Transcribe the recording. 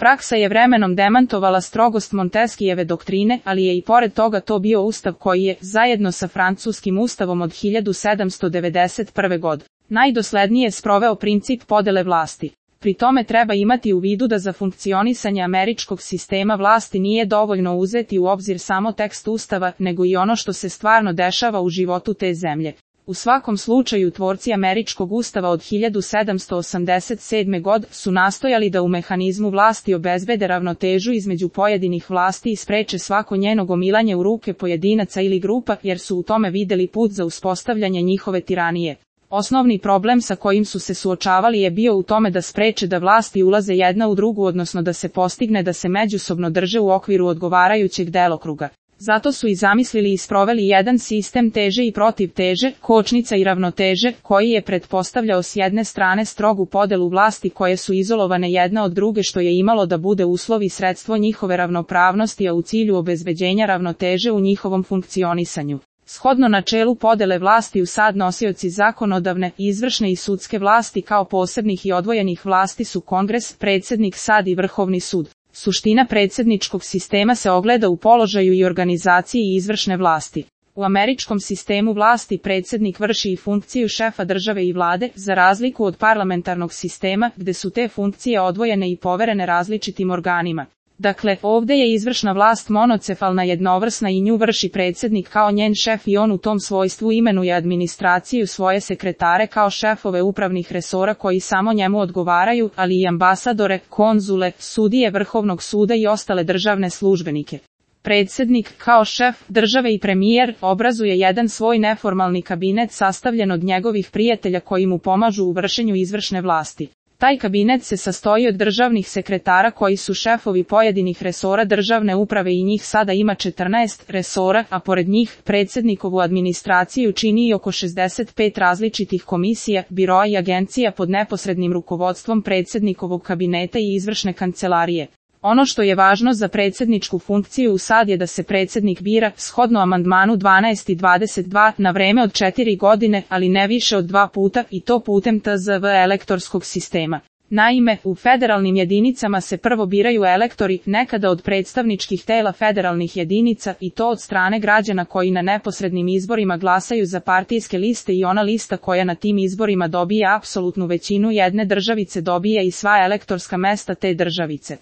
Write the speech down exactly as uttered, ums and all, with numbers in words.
Praksa je vremenom demantovala strogost Montesquijeve doktrine, ali je i pored toga to bio ustav koji je, zajedno sa francuskim ustavom od hiljadu sedamsto devedeset prve. godine, najdoslednije sproveo princip podele vlasti. Pri tome treba imati u vidu da za funkcionisanje američkog sistema vlasti nije dovoljno uzeti u obzir samo tekst ustava, nego i ono što se stvarno dešava u životu te zemlje. U svakom slučaju tvorci američkog ustava od hiljadu sedamsto osamdeset sedme. godine su nastojali da u mehanizmu vlasti obezbede ravnotežu između pojedinih vlasti i spreče svako njeno gomilanje u ruke pojedinaca ili grupa, jer su u tome videli put za uspostavljanje njihove tiranije. Osnovni problem sa kojim su se suočavali je bio u tome da spreče da vlasti ulaze jedna u drugu, odnosno da se postigne da se međusobno drže u okviru odgovarajućeg delokruga. Zato su i zamislili i sproveli jedan sistem teže i protiv teže, kočnica i ravnoteže, koji je pretpostavljao s jedne strane strogu podelu vlasti koje su izolovane jedna od druge, što je imalo da bude uslov i sredstvo njihove ravnopravnosti, a u cilju obezbeđenja ravnoteže u njihovom funkcionisanju. Shodno načelu podele vlasti u sad nosioci zakonodavne, izvršne i sudske vlasti kao posebnih i odvojenih vlasti su Kongres, predsjednik sad i Vrhovni sud. Suština predsjedničkog sistema se ogleda u položaju i organizaciji izvršne vlasti. U američkom sistemu vlasti predsjednik vrši i funkciju šefa države i vlade, za razliku od parlamentarnog sistema, gde su te funkcije odvojene i poverene različitim organima. Dakle, ovdje je izvršna vlast monocefalna, jednovrsna i nju vrši predsjednik kao njen šef i on u tom svojstvu imenuje administraciju, svoje sekretare kao šefove upravnih resora koji samo njemu odgovaraju, ali i ambasadore, konzule, sudije Vrhovnog suda i ostale državne službenike. Predsjednik, kao šef države i premijer, obrazuje jedan svoj neformalni kabinet sastavljen od njegovih prijatelja koji mu pomažu u vršenju izvršne vlasti. Taj kabinet se sastoji od državnih sekretara koji su šefovi pojedinih resora državne uprave i njih sada ima četrnaest resora, a pored njih predsjednikovu administraciju čini i oko šezdeset pet različitih komisija, biroa i agencija pod neposrednim rukovodstvom predsjednikovog kabineta i izvršne kancelarije. Ono što je važno za predsjedničku funkciju u sad je da se predsjednik bira, shodno amandmanu dvanaest i dvadeset dva, na vreme od četiri godine, ali ne više od dva puta, i to putem T Z V elektorskog sistema. Naime, u federalnim jedinicama se prvo biraju elektori, nekada od predstavničkih tela federalnih jedinica, i to od strane građana koji na neposrednim izborima glasaju za partijske liste, i ona lista koja na tim izborima dobije apsolutnu većinu jedne državice dobije i sva elektorska mesta te državice.